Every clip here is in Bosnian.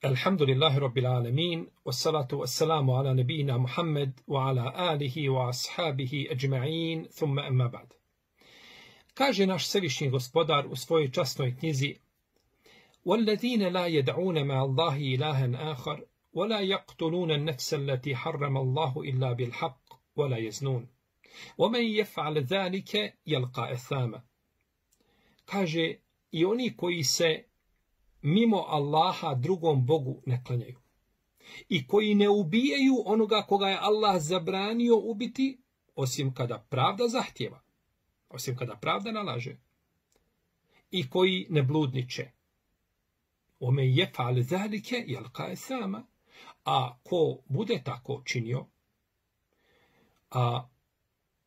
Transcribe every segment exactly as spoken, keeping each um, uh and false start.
Alhamdulillahi Rabbil Alamin, wassalatu wassalamu ala nabijina Muhammed wa ala alihi wa ashabihi ajma'in, thumma amma ba'd. Kaže naš Svevišnji Gospodar u svojoj časnoj knjizi: وَالَّذِينَ لَا يَدْعُونَ مَعَ اللَّهِ إِلَٰهًا آخَرَ وَلَا يَقْتُلُونَ النَّفْسَ الَّتِي حَرَّمَ اللَّهُ إِلَّا بِالْحَقِّ وَلَا يَزْنُونَ وَمَنْ يَفْعَلْ ذَلِكَ يَلْقَى أَثَامًا. Kaže, i oni koji se mimo Allaha drugom Bogu ne klanjaju i koji ne ubijaju onoga koga je Allah zabranio ubiti, osim kada pravda zahtjeva, osim kada pravda nalaže, i koji ne bludniče. Ome yef'al zalike yalqa asama, a ko bude tako činio, a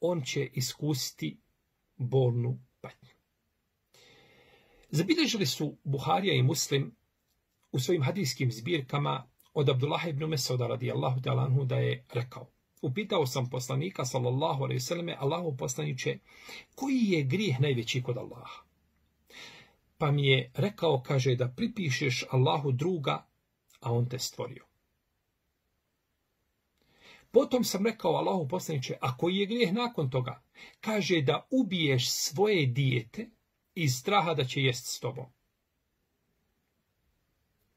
on će iskusiti bolnu patnju. Zabilježili su Buharija i Muslim u svojim hadijskim zbirkama od Abdullaha ibn Mesauda radijallahu ta'ala anhu da je rekao: upitao sam poslanika sallallahu alejhi ve selleme, Allahov poslanice, koji je grijeh najveći kod Allaha? Pa mi je rekao, kaže, da pripišeš Allahu druga, a on te stvorio. Potom sam rekao Allahov poslanice, a koji je grijeh nakon toga? Kaže, da ubiješ svoje dijete iz straha da će jest s tobom.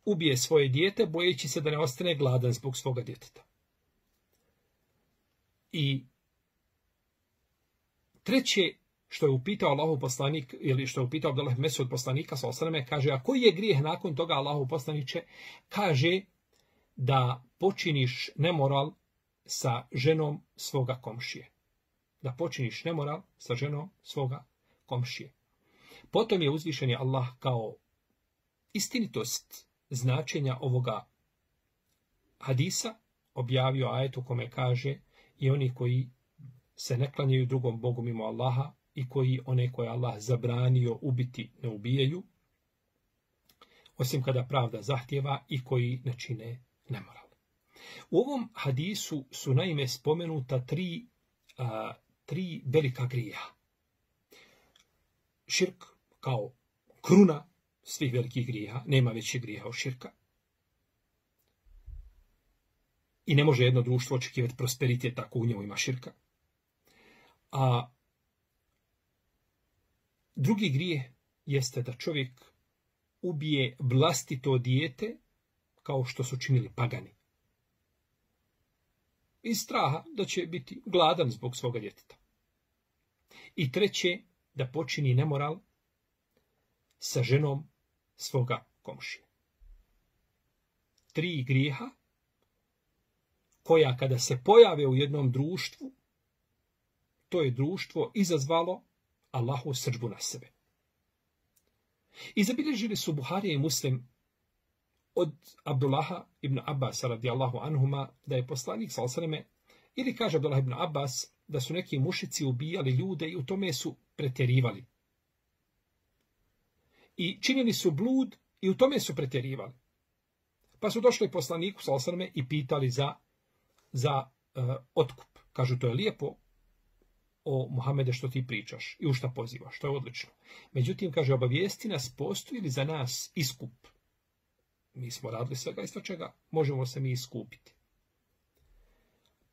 Ubije svoje dijete bojeći se da ne ostane gladan zbog svoga djeteta. I treće što je upitao Allahov poslanik, ili što je upitao Abdullah ibn Mesud poslanika sallallahu alejhi ve selleme, kaže, a koji je grijeh nakon toga, Allahov poslanice? Kaže, da počiniš nemoral sa ženom svoga komšije. Da počiniš nemoral sa ženom svoga komšije. Potom je uzvišeni Allah kao istinitost značenja ovoga hadisa objavio ajet u kome kaže: i oni koji se ne klanjaju drugom Bogu mimo Allaha i koji one koje Allah zabranio ubiti ne ubijaju, osim kada pravda zahtjeva, i koji ne čine nemoral. U ovom hadisu su naime spomenuta tri, a, tri velika grijeha. Širk kao kruna svih velikih grijeha, nema većih grijeha od širka. I ne može jedno društvo očekivati prosperitet ako u njemu ima širka. A drugi grijeh jeste da čovjek ubije vlastito dijete kao što su činili pagani. Iz straha da će biti gladan zbog svoga djeteta. I treće, da počini nemoral sa ženom svoga komšije. Tri grijeha koja kada se pojave u jednom društvu, to je društvo izazvalo Allahu srdžbu na sebe. I zabilježili su Buharija i Muslim od Abdullaha ibn Abbas radijallahu anhuma da je poslanik sallallahu alejhi ve selleme, ili kaže Abdullah ibn Abbas, da su neki mušici ubijali ljude i u tome su pretjerivali. I činili su blud i u tome su pretjerivali. Pa su došli poslaniku sallallahu alejhi ve selleme i pitali za, za uh, otkup. Kažu, to je lijepo, o Muhammede, što ti pričaš i u šta pozivaš, to je odlično. Međutim, kaže, obavijesti nas, postoji li za nas iskup? Mi smo radili svega isto čega, možemo se mi iskupiti.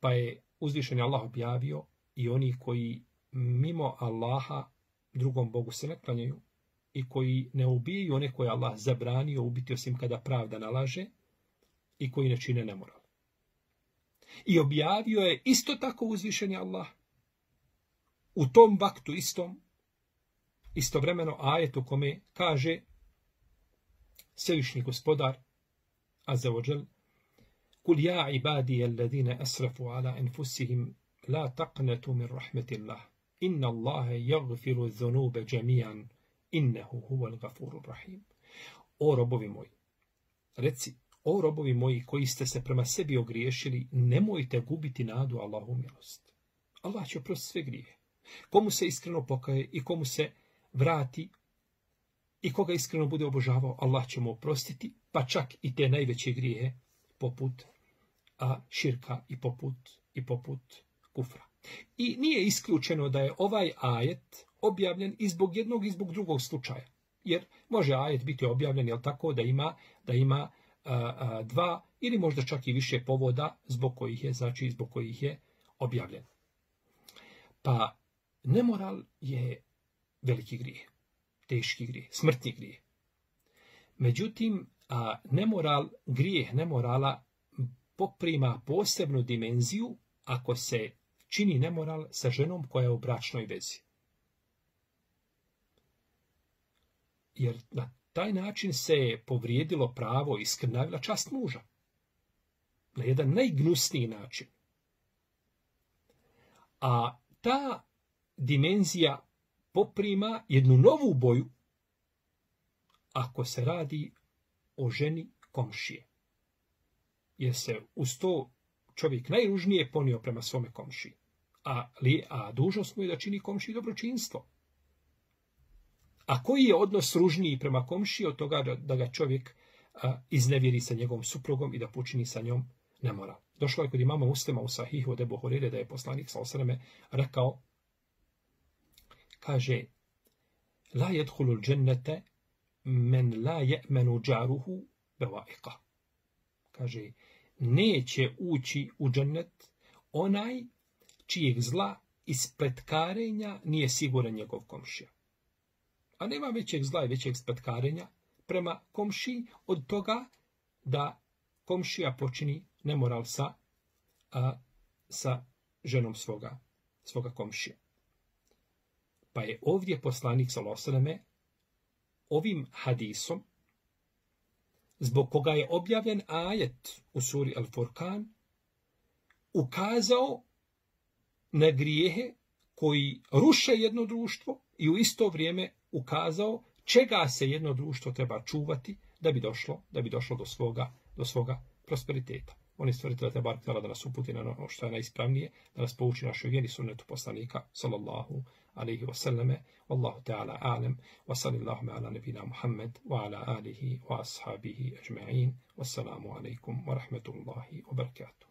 Pa je uzvišeni Allah objavio: i oni koji mimo Allaha drugom Bogu se ne klanjaju i koji ne ubijaju one koje Allah zabranio ubiti osim kada pravda nalaže i koji ne čine nemoral. I objavio je isto tako uzvišeni Allah u tom vaktu istom, istovremeno ajet u kome kaže Svevišnji Gospodar azza wa džel: Kul ja ibadija alladine asrafu ala anfusihim la taqnatu min rahmetillah inna Allahe yagfiru dhunube džemijan innehu huval gafurur rahim. O robovi moji, reci, o robovi moji koji ste se prema sebi ogriješili, nemojte gubiti nadu Allahu milost. Allah će oprostiti sve grijehe. Komu se iskreno pokaje i komu se vrati i koga iskreno bude obožavao, Allah će mu oprostiti, pa čak i te najveće grijehe poput a, širka i poput, i poput kufra. I nije isključeno da je ovaj ajet objavljen i zbog jednog i zbog drugog slučaja. Jer može ajet biti objavljen, jel tako, da ima, da ima a, a, dva ili možda čak i više povoda zbog kojih je, znači zbog kojih je objavljen. Pa nemoral je veliki grijeh, teški grijeh, smrtni grijeh. Međutim, a nemoral, grijeh nemorala poprima posebnu dimenziju ako se čini nemoral sa ženom koja je u bračnoj vezi. Jer na taj način se je povrijedilo pravo i skrnavila čast muža. Na jedan najgnusniji način. A ta dimenzija poprima jednu novu boju ako se radi o ženi komšije. Jer se uz to čovjek najružnije ponio prema svome komšiji. A, li, a dužnost mu je da čini komšiji dobročinstvo. A koji je odnos ružniji prema komšiji od toga da, da ga čovjek a, iznevjeri sa njegovom suprugom i da počini sa njom nemoral. Došlo je kod imama Muslima u Sahihu od Ebu Hurire da je poslanik sallallahu alejhi ve sellem rekao, kaže, la yadkhulul džennete men la je'menu džaruhu bevaika. Kaže, neće ući u džennet onaj čijeg zla i spletkarenja nije siguran njegov komšija. A nema većeg zla i većeg spletkarenja prema komšiji od toga da komšija počini nemoral sa, a, sa ženom svoga, svoga komšija. Pa je ovdje poslanik sallallahu alejhi ve sellem ovim hadisom, zbog koga je objavljen ajet u suri Al-Furqan, ukazao na grijehe koji ruše jedno društvo i u isto vrijeme ukazao čega se jedno društvo treba čuvati da bi došlo, da bi došlo do svoga, do svoga prosperiteta. On je stvoritelj te bar htjela da nas uputi na ono što je najispravnije, da nas pouči našoj vjeri sunnetu poslanika, sallallahu alaihi wa sallame, wallahu ta'ala a'lam, wa sallallahu ala nebina Muhammed, wa ala alihi wa ashabihi ajma'in, wassalamu alaikum wa rahmetullahi wa barakatuh.